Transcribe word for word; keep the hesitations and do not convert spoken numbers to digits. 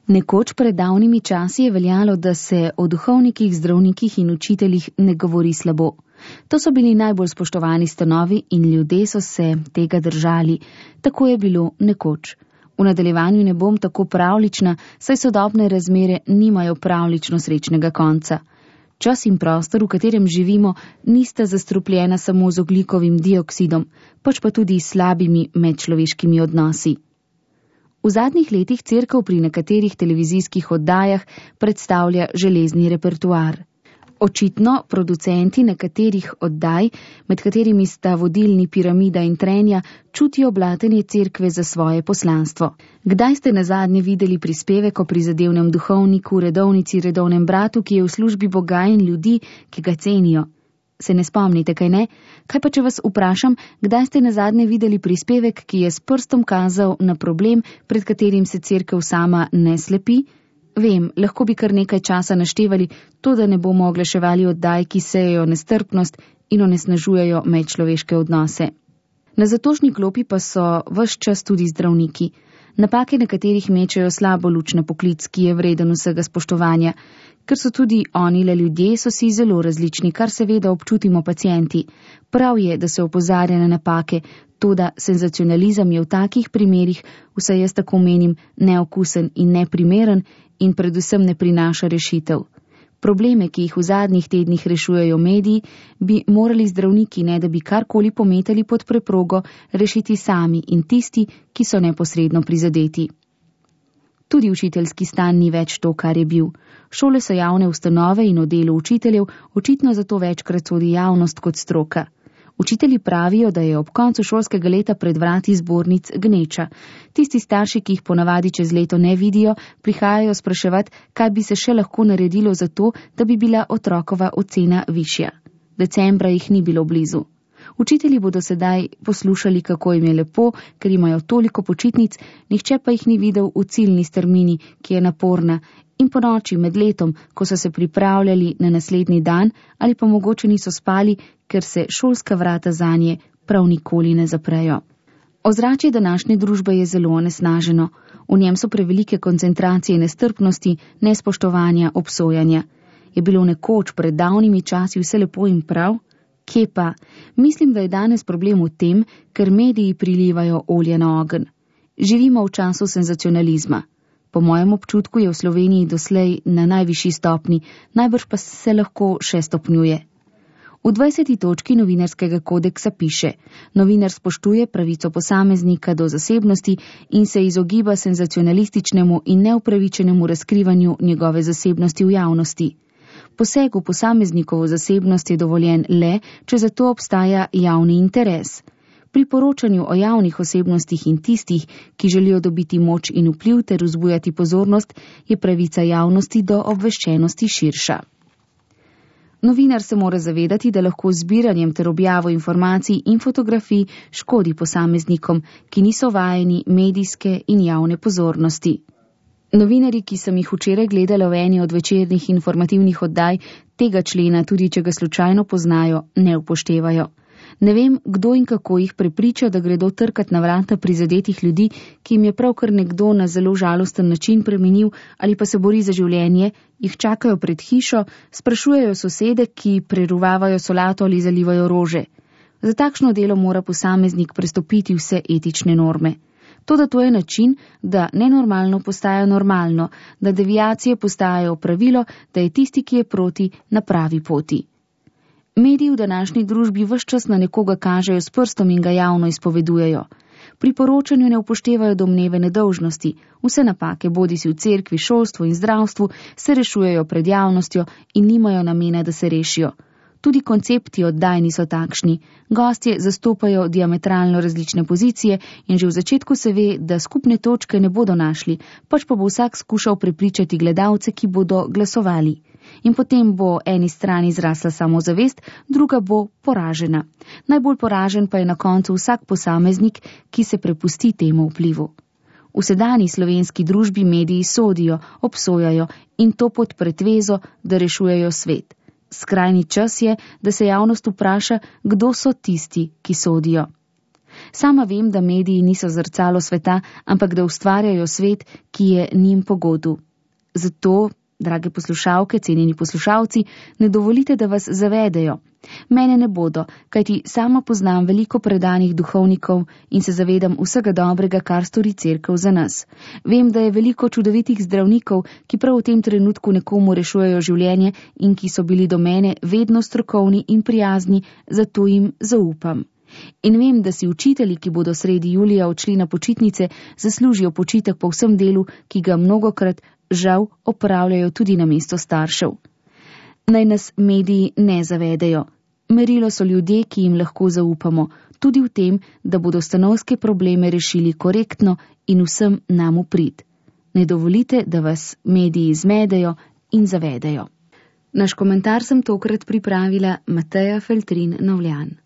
Nekoč pred davnimi časi je veljalo, da se o duhovnikih, zdravnikih in učiteljih ne govori slabo. To so bili najbolj spoštovani stanovi in ljudje so se tega držali. Tako je bilo nekoč. V nadaljevanju ne bom tako pravlična, saj sodobne razmere nimajo pravlično srečnega konca. Čas in prostor, v katerem živimo, nista zastrupljena samo z ogljikovim dioksidom, pač pa tudi s slabimi medčloveškimi odnosi. V zadnjih letih cerkev pri nekaterih televizijskih oddajah predstavlja železni repertoar. Očitno producenti nekaterih oddaj, med katerimi sta vodilni Piramida in Trenja, čutijo blatenje cerkve za svoje poslanstvo. Kdaj ste nazadnje videli prispevek o prizadevnem duhovniku, redovnici, redovnem bratu, ki je v službi Boga in ljudi, ki ga cenijo? Se ne spomnite, kaj ne? Kaj pa če vas vprašam, kdaj ste nazadnje videli prispevek, ki je s prstom kazal na problem, pred katerim se cerkev sama ne slepi? Vem, lahko bi kar nekaj časa naštevali, to da ne bomo oglaševali oddaj, ki sejejo nestrpnost in onesnažujejo medčloveške odnose. Na zatožni klopi pa so ves čas tudi zdravniki. Napake nekaterih mečejo slabo luč na poklic, ki je vreden vsega spoštovanja. Ker so tudi oni le ljudje, so si zelo različni, kar seveda občutimo pacienti. Prav je, da se opozarja na napake, toda senzacionalizem je v takih primerih, vsaj jaz tako menim, neokusen in neprimeren in predvsem ne prinaša rešitev. Probleme, ki jih v zadnjih tednih rešujejo mediji, bi morali zdravniki, ne da bi karkoli pometali pod preprogo, rešiti sami in tisti, ki so neposredno prizadeti. Tudi učiteljski stan ni več to, kar je bil. Šole so javne ustanove in o delu učiteljev očitno zato večkrat sodi javnost kot stroka. Učitelji pravijo, da je ob koncu šolskega leta pred vrati zbornic gneča. Tisti starši, ki jih ponavadi čez leto ne vidijo, prihajajo spraševati, kaj bi se še lahko naredilo za to, da bi bila otrokova ocena višja. Decembra jih ni bilo blizu. Učitelji bodo sedaj poslušali, kako jim je lepo, ker imajo toliko počitnic, nihče pa jih ni videl v ciljni strmini, ki je naporna, in po noči med letom, ko so se pripravljali na naslednji dan, ali pa mogoče niso spali, ker se šolska vrata zanje prav nikoli ne zaprejo. Ozračje današnje družbe je zelo onesnaženo. V njem so prevelike koncentracije nestrpnosti, nespoštovanja, obsojanja. Je bilo nekoč pred davnimi časi vse lepo in prav? Kje pa? Mislim, da je danes problem v tem, ker mediji prilivajo olje na ogenj. Živimo v času senzacionalizma. Po mojem občutku je v Sloveniji doslej na najvišji stopni, najbrž pa se lahko še stopnjuje. V dvajseti točki novinarskega kodeksa piše: novinar spoštuje pravico posameznika do zasebnosti in se izogiba senzacionalističnemu in neupravičenemu razkrivanju njegove zasebnosti v javnosti. Poseg v posameznikovo zasebnost je dovoljen le, če za to obstaja javni interes. Pri poročanju o javnih osebnostih in tistih, ki želijo dobiti moč in vpliv ter vzbujati pozornost, je pravica javnosti do obveščenosti širša. Novinar se mora zavedati, da lahko z zbiranjem ter objavo informacij in fotografij škodi posameznikom, ki niso vajeni medijske in javne pozornosti. Novinarji, ki sem jih včeraj gledala v eni od večernih informativnih oddaj, tega člena, tudi če ga slučajno poznajo, ne upoštevajo. Ne vem, kdo in kako jih prepriča, da gredo trkat na vrata prizadetih ljudi, ki jim je pravkar nekdo na zelo žalosten način premenil ali pa se bori za življenje, jih čakajo pred hišo, sprašujejo sosede, ki preruvavajo solato ali zalivajo rože. Za takšno delo mora posameznik prestopiti vse etične norme. Toda to je način, da nenormalno postaja normalno, da deviacije postajajo pravilo, da je tisti, ki je proti, na pravi poti. Mediji v današnji družbi ves čas na nekoga kažejo s prstom in ga javno izpovedujejo. Pri poročanju ne upoštevajo domneve nedolžnosti. Vse napake, bodisi v cerkvi, šolstvu in zdravstvu, se rešujejo pred javnostjo in nimajo namena, da se rešijo. Tudi koncepti oddaj niso takšni. Gostje zastopajo diametralno različne pozicije in že v začetku se ve, da skupne točke ne bodo našli, pač pa bo vsak skušal prepričati gledalce, ki bodo glasovali. In potem bo eni strani zrasla samozavest, druga bo poražena. Najbolj poražen pa je na koncu vsak posameznik, ki se prepusti temu vplivu. V sedanji slovenski družbi mediji sodijo, obsojajo in to pod pretvezo, da rešujejo svet. Skrajni čas je, da se javnost vpraša, kdo so tisti, ki sodijo. Sama vem, da mediji niso zrcalo sveta, ampak da ustvarjajo svet, ki je njim pogodu. Zato, drage poslušalke, cenjeni poslušalci, ne dovolite, da vas zavedejo. Mene ne bodo, kajti sama poznam veliko predanih duhovnikov in se zavedam vsega dobrega, kar stori cerkev za nas. Vem, da je veliko čudovitih zdravnikov, ki prav v tem trenutku nekomu rešujejo življenje in ki so bili do mene vedno strokovni in prijazni, zato jim zaupam. In vem, da si učitelji, ki bodo sredi julija odšli na počitnice, zaslužijo počitek po vsem delu, ki ga mnogokrat žal opravljajo tudi na mesto staršev. Naj nas mediji ne zavedejo. Merilo so ljudje, ki jim lahko zaupamo, tudi v tem, da bodo stanovske probleme rešili korektno in vsem nam v prid. Ne dovolite, da vas mediji zmedejo in zavedejo. Naš komentar sem tokrat pripravila Mateja Feltrin Novljan.